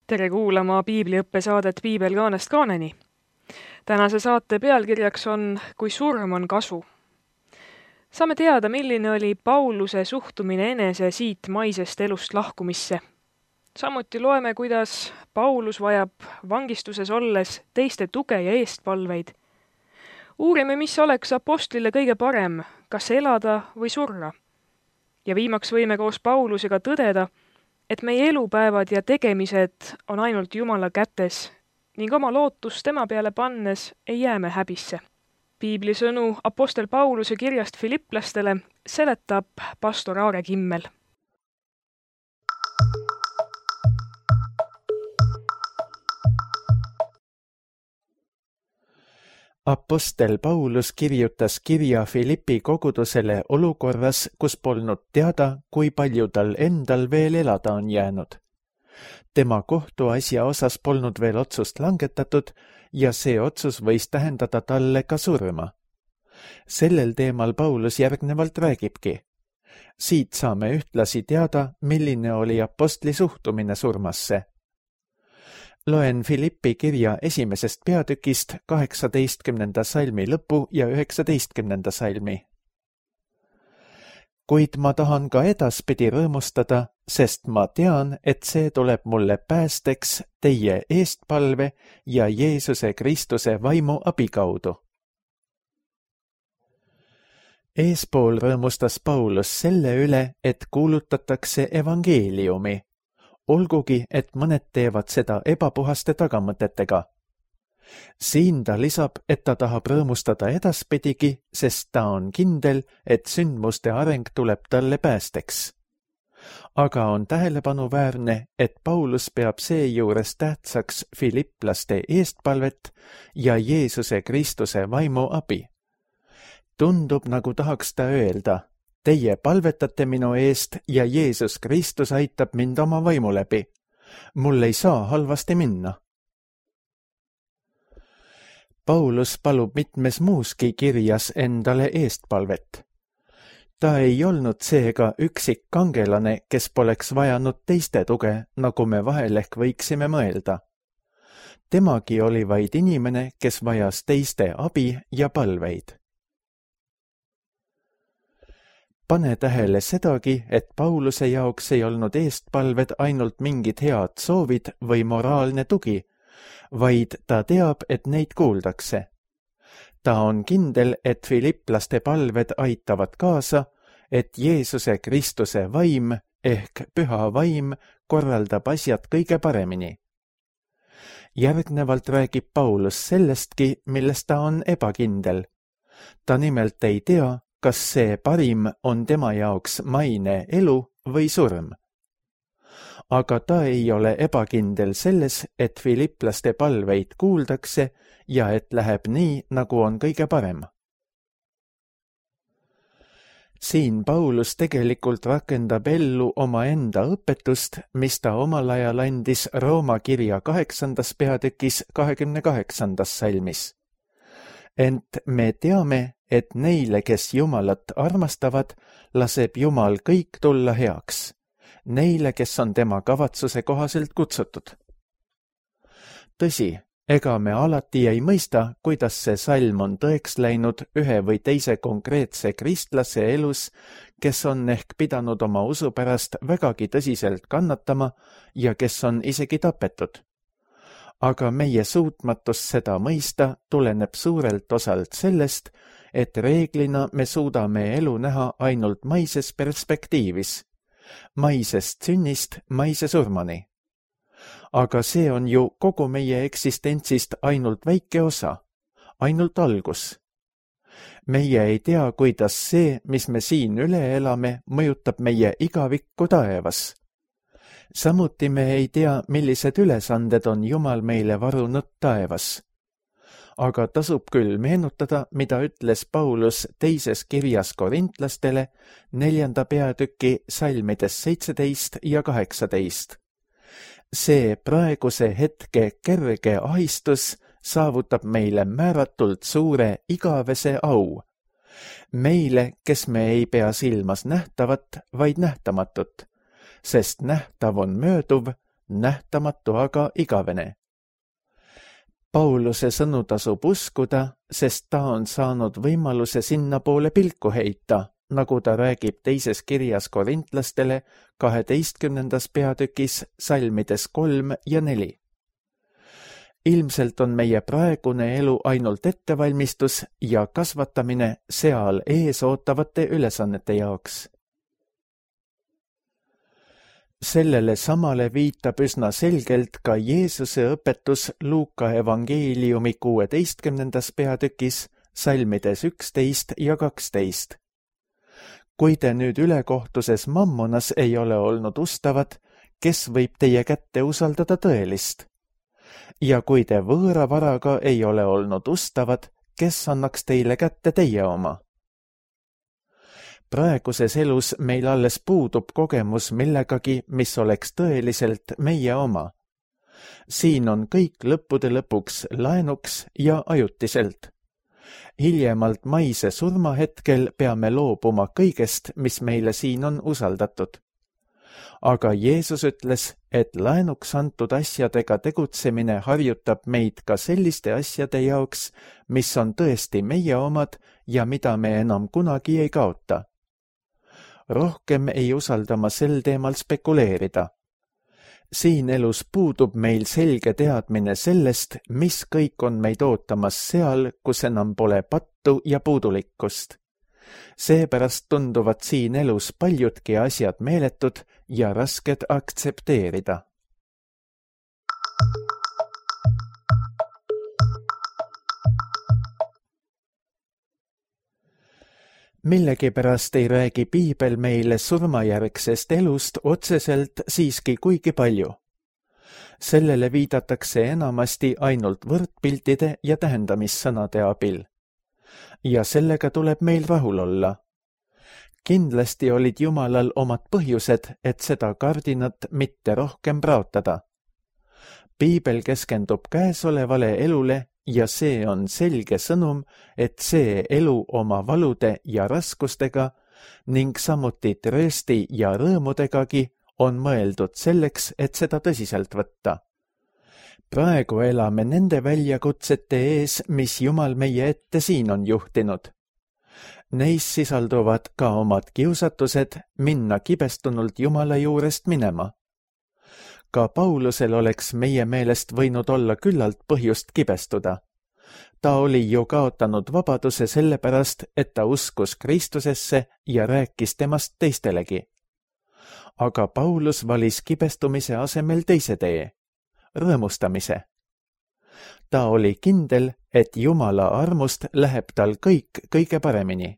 Tere kuulama piibliõppe saadet Piibel kaanest kaaneni. Tänase saate pealkirjaks on Kui surm on kasu. Saame teada, milline oli Pauluse suhtumine enese siit maisest elust lahkumisse. Samuti loeme, kuidas Paulus vajab vangistuses olles teiste tuge ja eestpalveid. Uurime, mis oleks apostlile kõige parem, kas elada või surra. Ja viimaks võime koos Paulusega tõdeda, et meie elupäevad ja tegemised on ainult Jumala kätes ning oma lootust tema peale pannes ei jää me häbisse. Piibli sõnu apostel Pauluse kirjast Filipplastele seletab pastor Aare Kimmel. Apostel Paulus kirjutas kirja Filippi kogudusele olukorras, kus polnud teada, kui palju tal endal veel elada on jäänud. Tema kohtuasja osas polnud veel otsust langetatud ja see otsus võis tähendada talle ka surma. Sellel teemal Paulus järgnevalt räägibki. Siit saame ühtlasi teada, milline oli apostli suhtumine surmasse. Loen Filippi kirja 1. peatükist 18. salmi lõpu ja 19. salmi. Kuid ma tahan ka edaspidi rõõmustada, sest ma tean, et see tuleb mulle päästeks teie eestpalve ja Jeesuse Kristuse vaimu abikaudu. Eespool rõõmustas Paulus selle üle, et kuulutatakse evangeeliumi. Olgugi, et mõned teevad seda ebapuhaste tagamõtetega. Siin ta lisab, et ta tahab rõõmustada edaspidigi, sest ta on kindel, et sündmuste areng tuleb talle päästeks. Aga on tähelepanuväärne, et Paulus peab seejuures tähtsaks filipplaste eestpalvet ja Jeesuse Kristuse vaimu abi. Tundub, nagu tahaks ta öelda, teie palvetate minu eest ja Jeesus Kristus aitab mind oma vaimu läbi. Mul ei saa halvasti minna. Paulus palub mitmes muuski kirjas endale eestpalvet. Ta ei olnud seega üksik kangelane, kes poleks vajanud teiste tuge, nagu me vahel ehk võiksime mõelda. Temagi oli vaid inimene, kes vajas teiste abi ja palveid. Pane tähele sedagi, et Pauluse jaoks ei olnud eestpalved ainult mingid head soovid või moraalne tugi, vaid ta teab, et neid kuuldakse. Ta on kindel, et filipplaste palved aitavad kaasa, et Jeesuse Kristuse vaim ehk püha vaim korraldab asjad kõige paremini. Järgnevalt räägib Paulus sellestki, millest ta on ebakindel. Ta nimelt ei tea, kas see parim on tema jaoks maine elu või surm. Aga ta ei ole ebakindel selles, et filipplaste palveid kuuldakse ja et läheb nii, nagu on kõige parem. Siin Paulus tegelikult rakendab ellu omaenda õpetust, mis ta omal ajal andis Rooma kirja 8. peatükis 28. salmis. Ent me teame, et neile, kes Jumalat armastavad, laseb Jumal kõik tulla heaks. Neile, kes on tema kavatsuse kohaselt kutsutud. Tõsi, ega me alati ei mõista, kuidas see salm on tõeks läinud ühe või teise konkreetse kristlase elus, kes on ehk pidanud oma usu pärast vägagi tõsiselt kannatama ja kes on isegi tapetud. Aga meie suutmatus seda mõista tuleneb suurelt osalt sellest, et reeglina me suudame elu näha ainult maises perspektiivis, maisest sünnist maise surmani. Aga see on ju kogu meie eksistentsist ainult väike osa, ainult algus. Meie ei tea, kuidas see, mis me siin üle elame, mõjutab meie igavikku taevas. Samuti me ei tea, millised ülesanded on Jumal meile varunud taevas. Aga tasub küll meenutada, mida ütles Paulus teises kirjas korintlastele 4. peatüki salmides 17 ja 18. See praeguse hetke kerge ahistus saavutab meile määratult suure igavese au. Meile, kes me ei pea silmas nähtavat, vaid nähtamatut, sest nähtav on mööduv, nähtamatu aga igavene. Pauluse sõnu tasub uskuda, sest ta on saanud võimaluse sinna poole pilku heita, nagu ta räägib teises kirjas korintlastele 12. peatükis salmides 3 ja 4. Ilmselt on meie praegune elu ainult ettevalmistus ja kasvatamine seal ees ootavate ülesannete jaoks. Sellele samale viitab üsna selgelt ka Jeesuse õpetus Luuka evangeeliumi 16. peatükis salmides 11 ja 12. Kui te nüüd ülekohtuses mammonas ei ole olnud ustavad, kes võib teie kätte usaldada tõelist? Ja kui te võõra varaga ei ole olnud ustavad, kes annaks teile kätte teie oma? Praeguses elus meil alles puudub kogemus millegagi, mis oleks tõeliselt meie oma. Siin on kõik lõppude lõpuks laenuks ja ajutiselt. Hiljemalt maise surmahetkel peame loobuma kõigest, mis meile siin on usaldatud. Aga Jeesus ütles, et laenuks antud asjadega tegutsemine harjutab meid ka selliste asjade jaoks, mis on tõesti meie omad ja mida me enam kunagi ei kaota. Rohkem ei usalda ma sel teemal spekuleerida. Siin elus puudub meil selge teadmine sellest, mis kõik on meid ootamas seal, kus enam pole pattu ja puudulikkust. Seepärast tunduvad siin elus paljudki asjad meeletud ja rasked aktsepteerida. Millegipärast ei räägi piibel meile surmajärgsest elust otseselt siiski kuigi palju. Sellele viidatakse enamasti ainult võrdpiltide ja tähendamissõnade abil. Ja sellega tuleb meil rahul olla. Kindlasti olid Jumalal omad põhjused, et seda kardinat mitte rohkem praotada. Piibel keskendub käesolevale elule ja see on selge sõnum, et see elu oma valude ja raskustega ning samuti tröösti ja rõõmudegagi on mõeldud selleks, et seda tõsiselt võtta. Praegu elame nende väljakutsete ees, mis Jumal meie ette siin on juhtinud. Neis sisalduvad ka omad kiusatused minna kibestunult Jumala juurest minema. Ka Paulusel oleks meie meelest võinud olla küllalt põhjust kibestuda. Ta oli ju kaotanud vabaduse sellepärast, et ta uskus Kristusesse ja rääkis temast teistelegi. Aga Paulus valis kibestumise asemel teise tee, rõõmustamise. Ta oli kindel, et Jumala armust läheb tal kõik kõige paremini.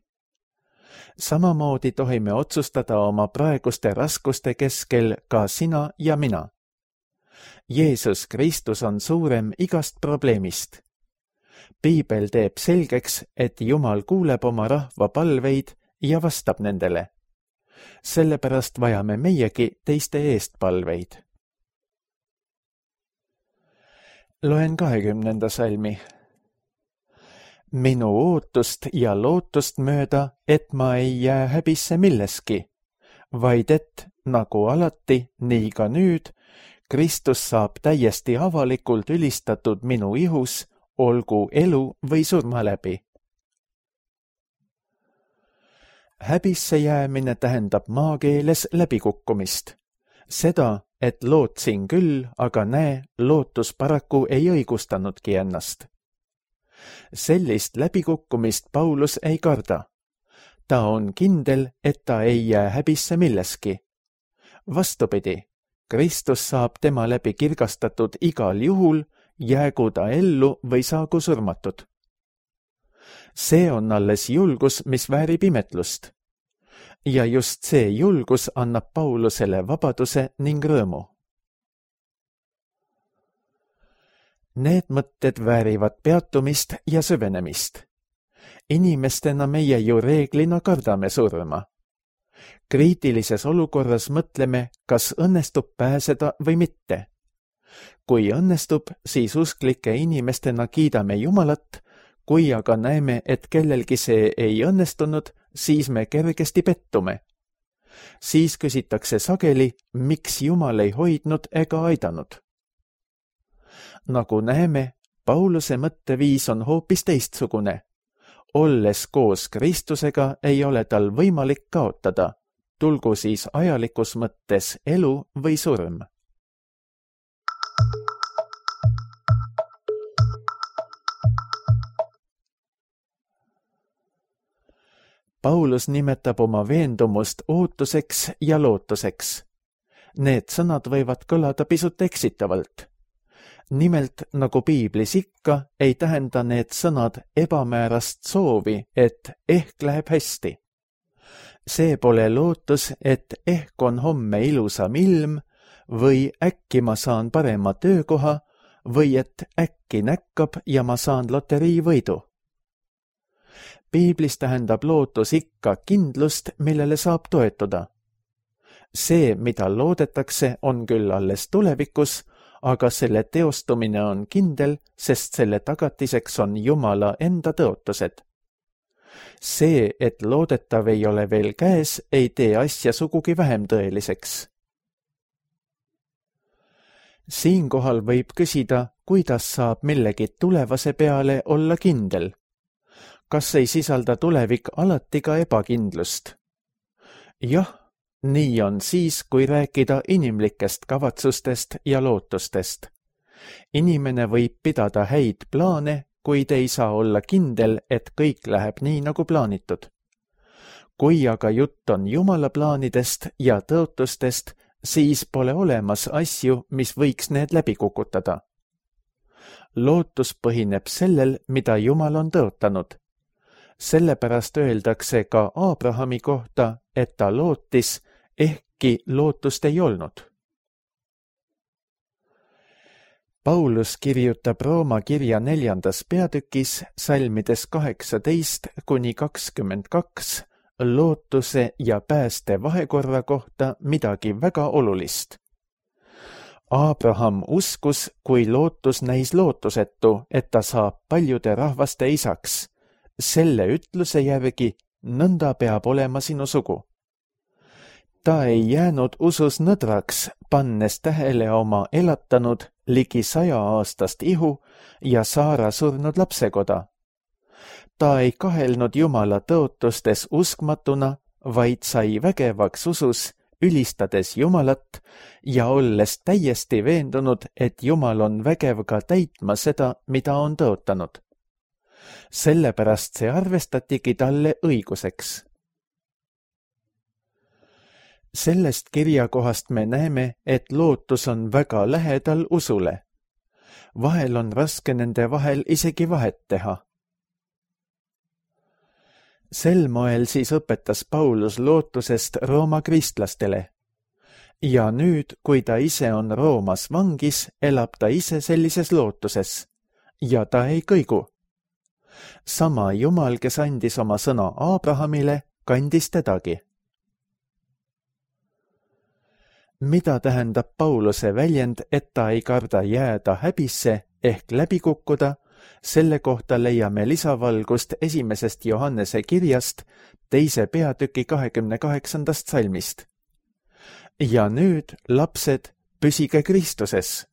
Samamoodi tohime otsustada oma praeguste raskuste keskel ka sina ja mina. Jeesus Kristus on suurem igast probleemist. Piibel teeb selgeks, et Jumal kuuleb oma rahva palveid ja vastab nendele. Sellepärast vajame meiegi teiste eest palveid. Loen 20. salmi. Minu ootust ja lootust mööda, et ma ei jää häbisse milleski, vaid et, nagu alati, nii ka nüüd, Kristus saab täiesti avalikult ülistatud minu ihus, olgu elu või surma läbi. Häbisse jäämine tähendab maakeeles läbikukkumist. Seda, et lootsin küll, aga näe, lootus paraku ei õigustanudki ennast. Sellist läbikukkumist Paulus ei karda. Ta on kindel, et ta ei jää häbisse milleski. Vastupidi, Kristus saab tema läbi kirgastatud igal juhul, jäägu ta ellu või saagu surmatud. See on alles julgus, mis väärib imetlust. Ja just see julgus annab Paulusele vabaduse ning rõõmu. Need mõtted väärivad peatumist ja süvenemist. Inimestena meie ju reeglina kardame surma. Kriitilises olukorras mõtleme, kas õnnestub pääseda või mitte. Kui õnnestub, siis usklike inimestena kiidame Jumalat, kui aga näeme, et kellelgi see ei õnnestunud, siis me kergesti pettume. Siis küsitakse sageli, miks Jumal ei hoidnud ega aidanud. Nagu näeme, Pauluse mõtteviis on hoopis teistsugune. Olles koos Kristusega ei ole tal võimalik kaotada, tulgu siis ajalikus mõttes elu või surm. Paulus nimetab oma veendumust ootuseks ja lootuseks. Need sõnad võivad kõlada pisut eksitavalt. Nimelt, nagu piiblis ikka, ei tähenda need sõnad ebamäärast soovi, et ehk läheb hästi. See pole lootus, et ehk on homme ilusam ilm või äkki ma saan parema töökoha või et äkki näkkab ja ma saan loteriivõidu. Piiblis tähendab lootus ikka kindlust, millele saab toetuda. See, mida loodetakse, on küll alles tulevikus, aga selle teostumine on kindel, sest selle tagatiseks on Jumala enda tõotused. See, et loodetav ei ole veel käes, ei tee asja sugugi vähem tõeliseks. Siinkohal võib küsida, kuidas saab millegi tulevase peale olla kindel. Kas ei sisalda tulevik alati ka ebakindlust? Jah, nii on siis, kui rääkida inimlikest kavatsustest ja lootustest. Inimene võib pidada häid plaane, kuid ei saa olla kindel, et kõik läheb nii, nagu plaanitud. Kui aga jutt on Jumala plaanidest ja tõotustest, siis pole olemas asju, mis võiks need läbi kukutada. Lootus põhineb sellel, mida Jumal on tõotanud. Sellepärast öeldakse ka Abrahami kohta, et ta lootis, ehkki lootust ei olnud. Paulus kirjutab Rooma kirja 4. peatükis salmides 18–22 lootuse ja pääste vahekorra kohta midagi väga olulist. Abraham uskus, kui lootus näis lootusetu, et ta saab paljude rahvaste isaks. Selle ütluse järgi nõnda peab olema sinu sugu. Ta ei jäänud usus nõdraks, pannes tähele oma elatanud ligi 100-aastast ihu ja Saara surnud lapsekoda. Ta ei kahelnud Jumala tõotustes uskmatuna, vaid sai vägevaks usus, ülistades Jumalat ja olles täiesti veendunud, et Jumal on vägev ka täitma seda, mida on tõotanud. Sellepärast see arvestatigi talle õiguseks. Sellest kirjakohast me näeme, et lootus on väga lähedal usule. Vahel on raske nende vahel isegi vahet teha. Sel moel siis õpetas Paulus lootusest Rooma kristlastele. Ja nüüd, kui ta ise on Roomas vangis, elab ta ise sellises lootuses. Ja ta ei kõigu. Sama Jumal, kes andis oma sõna Abrahamile, kandis tedagi. Mida tähendab Pauluse väljend, et ta ei karda jääda häbisse ehk läbi kukkuda? Selle kohta leiame lisavalgust 1. Johannese kirjast 2. peatüki 28. salmist. Ja nüüd, lapsed, püsige Kristuses,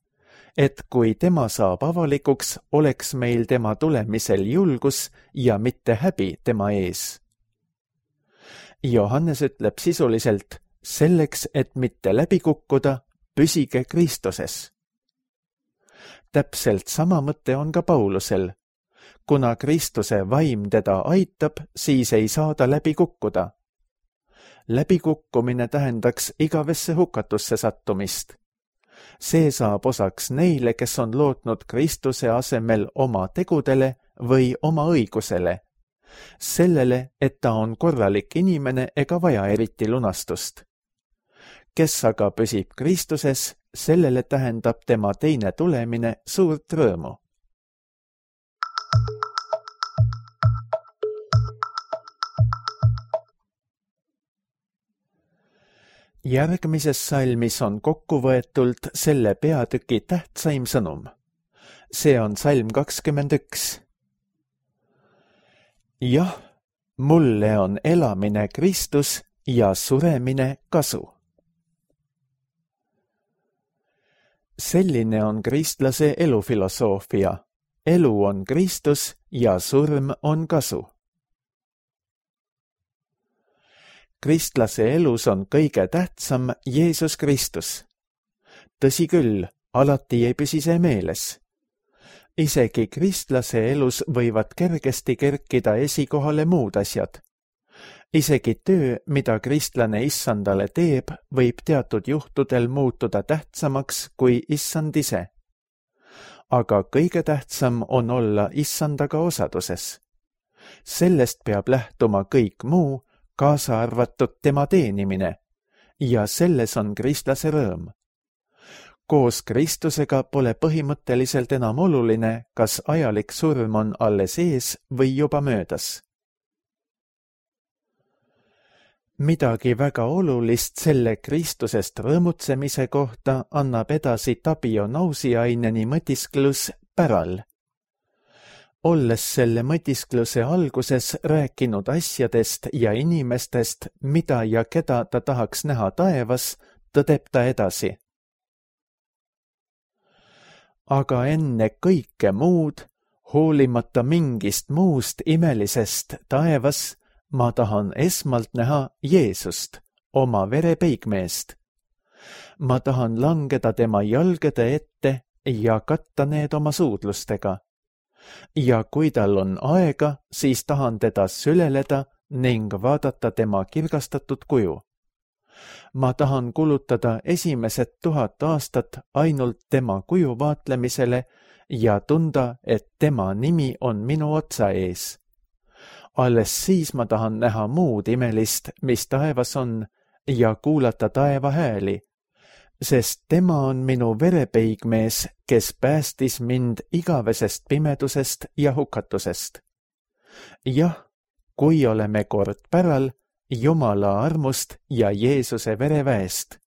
et kui tema saab avalikuks, oleks meil tema tulemisel julgus ja mitte häbi tema ees. Johannes ütleb sisuliselt, selleks, et mitte läbi kukkuda, püsige Kristuses. Täpselt sama mõte on ka Paulusel. Kuna Kristuse vaim teda aitab, siis ei saa ta läbi kukkuda. Läbikukkumine tähendaks igavesse hukatusse sattumist. See saab osaks neile, kes on lootnud Kristuse asemel oma tegudele või oma õigusele. Sellele, et ta on korralik inimene ega vaja eriti lunastust. Kes aga püsib Kristuses, sellele tähendab tema teine tulemine suurt rõõmu. Järgmises salmis on kokkuvõetult selle peatüki tähtsaim sõnum. See on salm 21. Jah, mulle on elamine Kristus ja suremine kasu. Selline on kristlase elufilosoofia. Elu on Kristus ja surm on kasu. Kristlase elus on kõige tähtsam Jeesus Kristus. Tõsi küll, alati ei püsi see meeles. Isegi kristlase elus võivad kergesti kerkida esikohale muud asjad. Isegi töö, mida kristlane issandale teeb, võib teatud juhtudel muutuda tähtsamaks kui issand ise. Aga kõige tähtsam on olla issandaga osaduses. Sellest peab lähtuma kõik muu, kaasa arvatud tema teenimine, ja selles on kristlase rõõm. Koos Kristusega pole põhimõtteliselt enam oluline, kas ajalik surm on alles ees või juba möödas. Midagi väga olulist selle Kristusest rõõmutsemise kohta annab edasi Tabio Nausiaineni mõtisklus päral. Olles selle mõtiskluse alguses rääkinud asjadest ja inimestest, mida ja keda ta tahaks näha taevas, tõdeb ta edasi. Aga enne kõike muud, hoolimata mingist muust imelisest taevas, ma tahan esmalt näha Jeesust, oma verepeigmeest. Ma tahan langeda tema jalgade ette ja katta need oma suudlustega. Ja kui tal on aega, siis tahan teda süleleda ning vaadata tema kirgastatud kuju. Ma tahan kulutada esimesed 1000 aastat ainult tema kuju vaatlemisele ja tunda, et tema nimi on minu otsa ees. Alles siis ma tahan näha muud imelist, mis taevas on, ja kuulata taeva hääli, sest tema on minu verepeigmees, kes päästis mind igavesest pimedusest ja hukatusest. Jah, kui oleme kord päral, Jumala armust ja Jeesuse vereväest.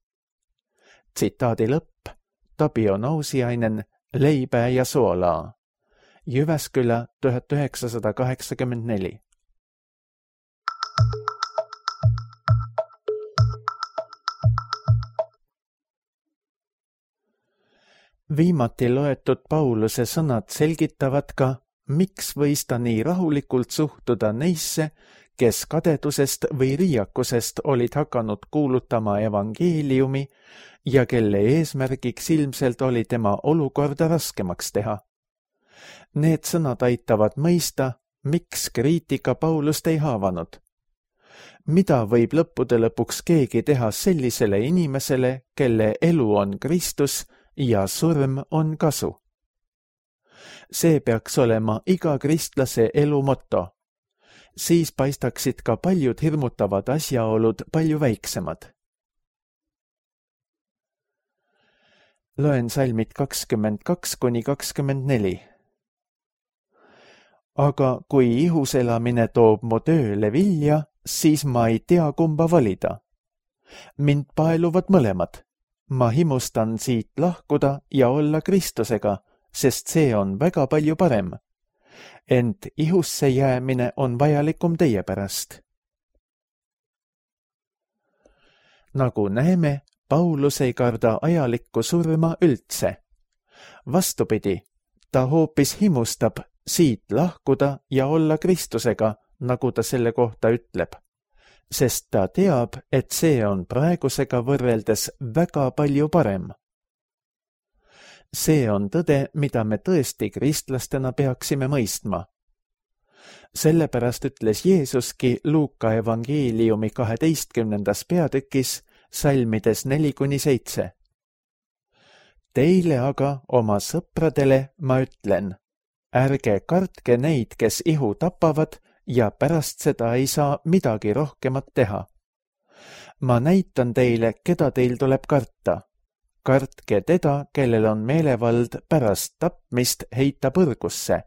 Tsitaadi lõpp, Tabio Nausiainen, Leipää ja soolaa. Jyväskylä 1984. Viimati loetud Pauluse sõnad selgitavad ka, miks võis ta nii rahulikult suhtuda neisse, kes kadedusest või riiakusest olid hakanud kuulutama evangeeliumi ja kelle eesmärgiks ilmselt oli tema olukorda raskemaks teha. Need sõnad aitavad mõista, miks kriitika Paulust ei haavanud. Mida võib lõppude lõpuks keegi teha sellisele inimesele, kelle elu on Kristus ja surm on kasu? See peaks olema iga kristlase elu moto. Siis paistaksid ka paljud hirmutavad asjaolud palju väiksemad. Loen salmid 22–24. Aga kui ihuselamine toob mu tööle vilja, siis ma ei tea, kumba valida. Mind paeluvad mõlemad. Ma himustan siit lahkuda ja olla Kristusega, sest see on väga palju parem. Ent ihusse jäämine on vajalikum teie pärast. Nagu näeme, Paulus ei karda ajalikku surma üldse. Vastupidi, ta hoopis himustab siit lahkuda ja olla Kristusega, nagu ta selle kohta ütleb, sest ta teab, et see on praegusega võrreldes väga palju parem. See on tõde, mida me tõesti kristlastena peaksime mõistma. Sellepärast ütles Jeesuski Luuka evangeeliumi 12. peatükis salmides 4–7. Teile aga, oma sõpradele, ma ütlen, ärge kartke neid, kes ihu tapavad ja pärast seda ei saa midagi rohkemat teha. Ma näitan teile, keda teil tuleb karta. Kartke teda, kellel on meelevald pärast tapmist heita põrgusse.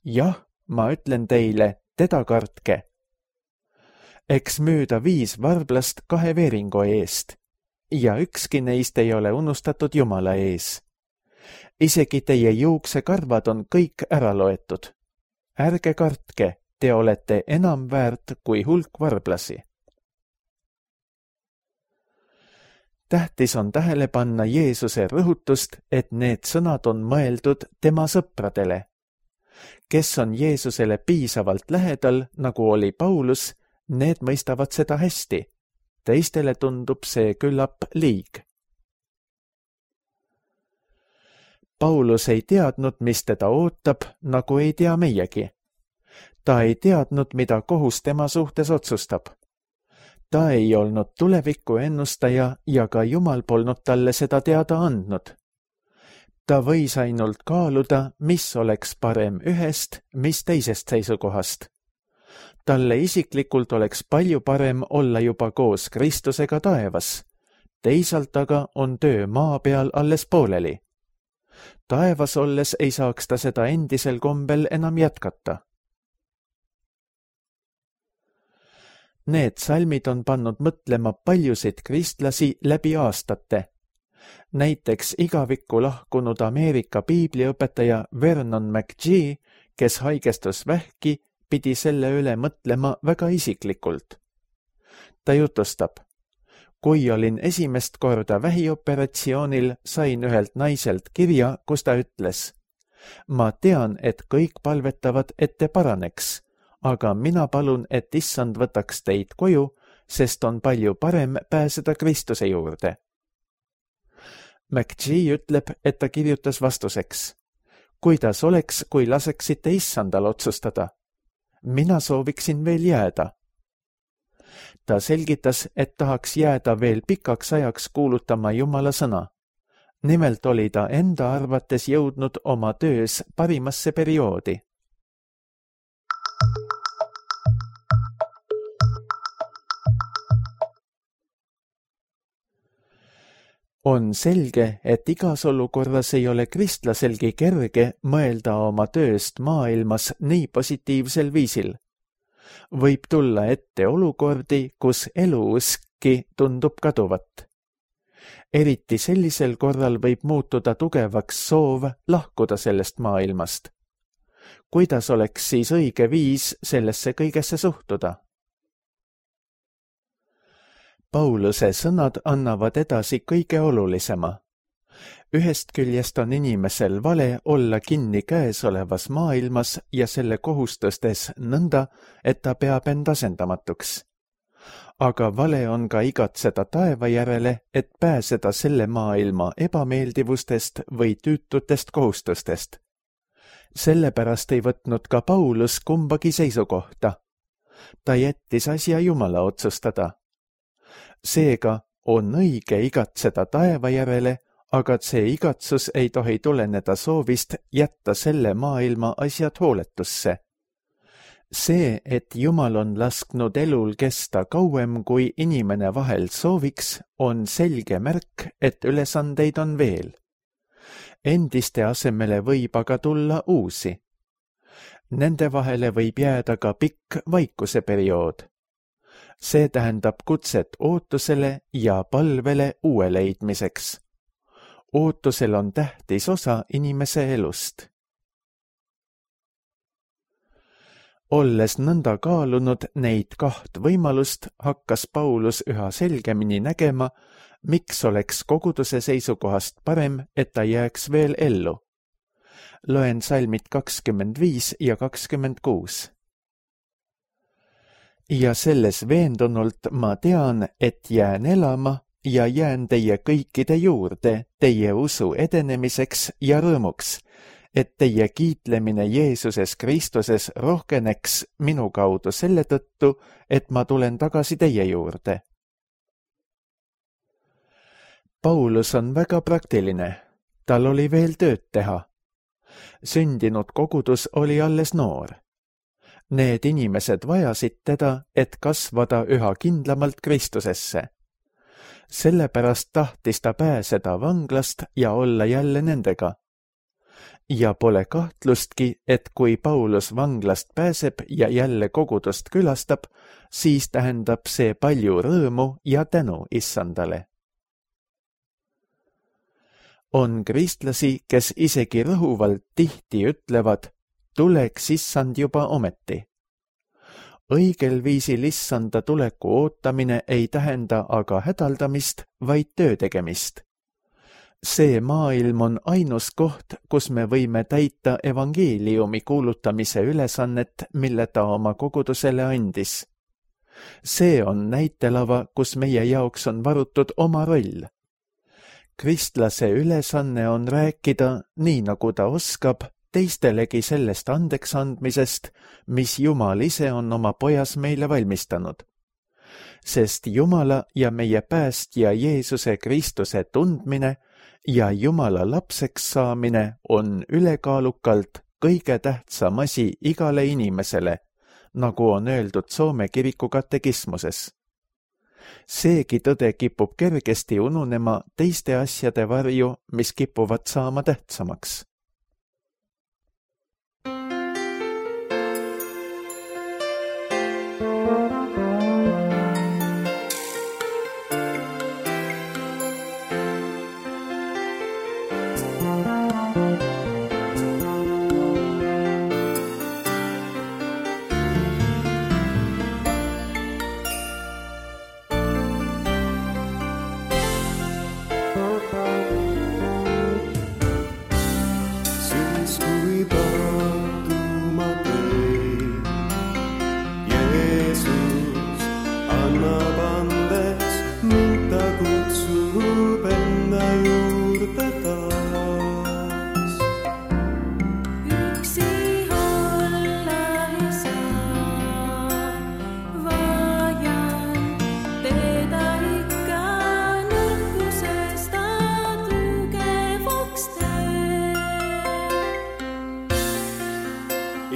Jah, ma ütlen teile, teda kartke. Eks müüda 5 varblast 2 veeringo eest, ja ükski neist ei ole unustatud Jumala ees. Isegi teie juuksekarvad on kõik ära loetud. Ärge kartke, te olete enam väärt kui hulk varblasi. tähtis on tähele panna Jeesuse rõhutust, et need sõnad on mõeldud tema sõpradele. Kes on Jeesusele piisavalt lähedal, nagu oli Paulus, need mõistavad seda hästi. Teistele tundub see küllap liig. Paulus ei teadnud, mis teda ootab, nagu ei tea meiegi. Ta ei teadnud, mida kohus tema suhtes otsustab. Ta ei olnud tuleviku ennustaja ja ka Jumal polnud talle seda teada andnud. Ta võis ainult kaaluda, mis oleks parem ühest, mis teisest seisukohast. Talle isiklikult oleks palju parem olla juba koos Kristusega taevas. Teisalt aga on töö maa peal alles pooleli. Taevas olles ei saaks ta seda endisel kombel enam jätkata. Need salmid on pannud mõtlema paljusid kristlasi läbi aastate. Näiteks igavikku lahkunud Ameerika piibliõpetaja Vernon McGee, kes haigestus vähki, pidi selle üle mõtlema väga isiklikult. Ta jutustab: kui olin esimest korda vähioperatsioonil, sain ühelt naiselt kirja, kus ta ütles: ma tean, et kõik palvetavad, et te paraneks, aga mina palun, et Issand võtaks teid koju, sest on palju parem pääseda Kristuse juurde. McGee ütleb, et ta kirjutas vastuseks: kuidas oleks, kui laseksite Issandal otsustada? Mina sooviksin veel jääda. Ta selgitas, et tahaks jääda veel pikaks ajaks kuulutama Jumala sõna. Nimelt oli ta enda arvates jõudnud oma töös parimasse perioodi. On selge, et igas olukorras ei ole kristlaselgi kerge mõelda oma tööst maailmas nii positiivsel viisil. Võib tulla ette olukordi, kus eluuskki tundub kaduvat. Eriti sellisel korral võib muutuda tugevaks soov lahkuda sellest maailmast. Kuidas oleks siis õige viis sellesse kõigesse suhtuda? Pauluse sõnad annavad edasi kõige olulisema. Ühest küljest on inimesel vale olla kinni käesolevas maailmas ja selle kohustustes nõnda, et ta peab end asendamatuks. Aga vale on ka igatseda taeva järele, et pääseda selle maailma ebameeldivustest või tüütutest kohustustest. Sellepärast ei võtnud ka Paulus kumbagi seisukohta. Ta jättis asja Jumala otsustada. Seega on õige igatseda taeva järele, aga see igatsus ei tohi tuleneda soovist jätta selle maailma asjad hooletusse. See, et Jumal on lasknud elul kesta kauem, kui inimene vahel sooviks, on selge märk, et ülesandeid on veel. Endiste asemele võib aga tulla uusi. Nende vahele võib jääda ka pikk vaikuseperiood. See tähendab kutset ootusele ja palvele uue leidmiseks. Ootusel on tähtis osa inimese elust. Olles nõnda kaalunud neid kaht võimalust, hakkas Paulus üha selgemini nägema, miks oleks koguduse seisukohast parem, et ta jääks veel ellu. Loen salmid 25 ja 26. Ja selles veendunult ma tean, et jään elama ja jään teie kõikide juurde, teie usu edenemiseks ja rõõmuks, et teie kiitlemine Jeesuses Kristuses rohkeneks minu kaudu selle tõttu, et ma tulen tagasi teie juurde. Paulus on väga praktiline. Tal oli veel tööd teha. Sündinud kogudus oli alles noor. Need inimesed vajasid teda, et kasvada üha kindlamalt Kristusesse. Sellepärast tahtis ta pääseda vanglast ja olla jälle nendega. Ja pole kahtlustki, et kui Paulus vanglast pääseb ja jälle kogudust külastab, siis tähendab see palju rõõmu ja tänu Issandale. On kristlasi, kes isegi rõhuvalt tihti ütlevad, tuleks Issand juba ometi. õigel viisil issanda tuleku ootamine ei tähenda aga hädaldamist, vaid töö tegemist. See maailm on ainus koht, kus me võime täita evangeeliumi kuulutamise ülesannet, mille ta oma kogudusele andis. See on näitelava, kus meie jaoks on varutud oma roll. Kristlase ülesanne on rääkida, nii nagu ta oskab, teistelegi sellest andeks andmisest, mis Jumal ise on oma pojas meile valmistanud. Sest Jumala ja meie päästja Jeesuse Kristuse tundmine ja Jumala lapseks saamine on ülekaalukalt kõige tähtsam asi igale inimesele, nagu on öeldud Soome kiriku katekismuses. Seegi tõde kipub kergesti ununema teiste asjade varju, mis kipuvad saama tähtsamaks.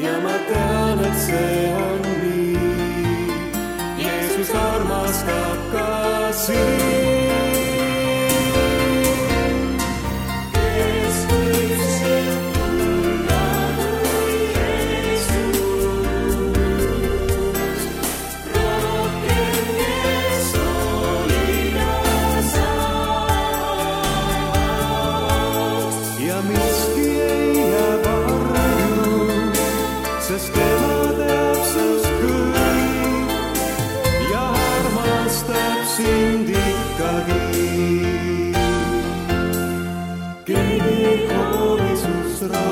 Ja ma tean, et see on nii. Jeesus armastab ka sind. Kes võib sind tulla kui Jeesus? Rohkem, kes hoolida saaks. Ja miski ei jää varju, sest tema teab sust kõik ja armastab sind ikkagi. Keegi ei hooli sust rohkem.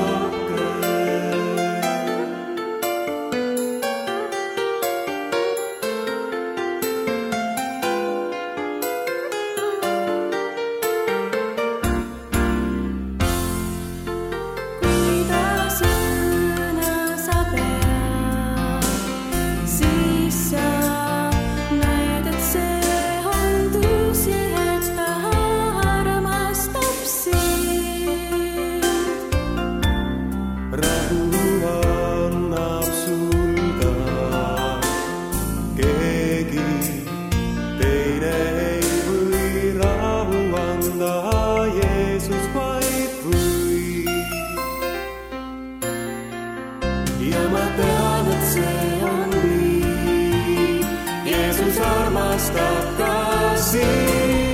Ja ma tean, et see on nii. Jeesus armastab ka sind.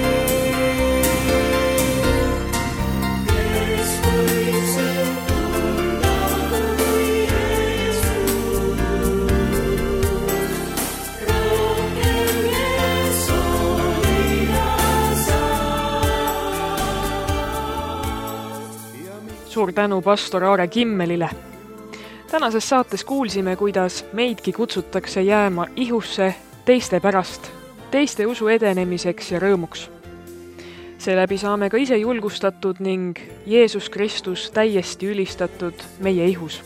Kes võib sind tulla kui Jeesus? Rohkem, kes hoolida saaks. Suur tänu pastor Aare Kimmelile. Tänases saates kuulsime, kuidas meidki kutsutakse jääma ihusse teiste pärast, teiste usu edenemiseks ja rõõmuks. Seeläbi saame ka ise julgustatud ning Jeesus Kristus täiesti ülistatud meie ihus.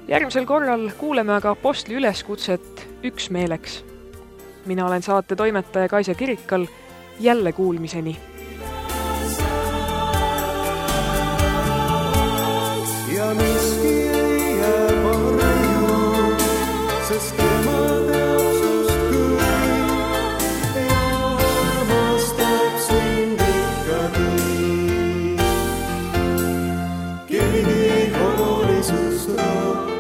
Järgmisel korral kuuleme aga apostli üleskutset üksmeeleks. Mina olen saate toimetaja Kaisa Kirikal, jälle kuulmiseni. Ja miski ei jää varju, sest tema teab sust kõik ja armastab sind ikkagi. Keegi ei hooli sust rohkem.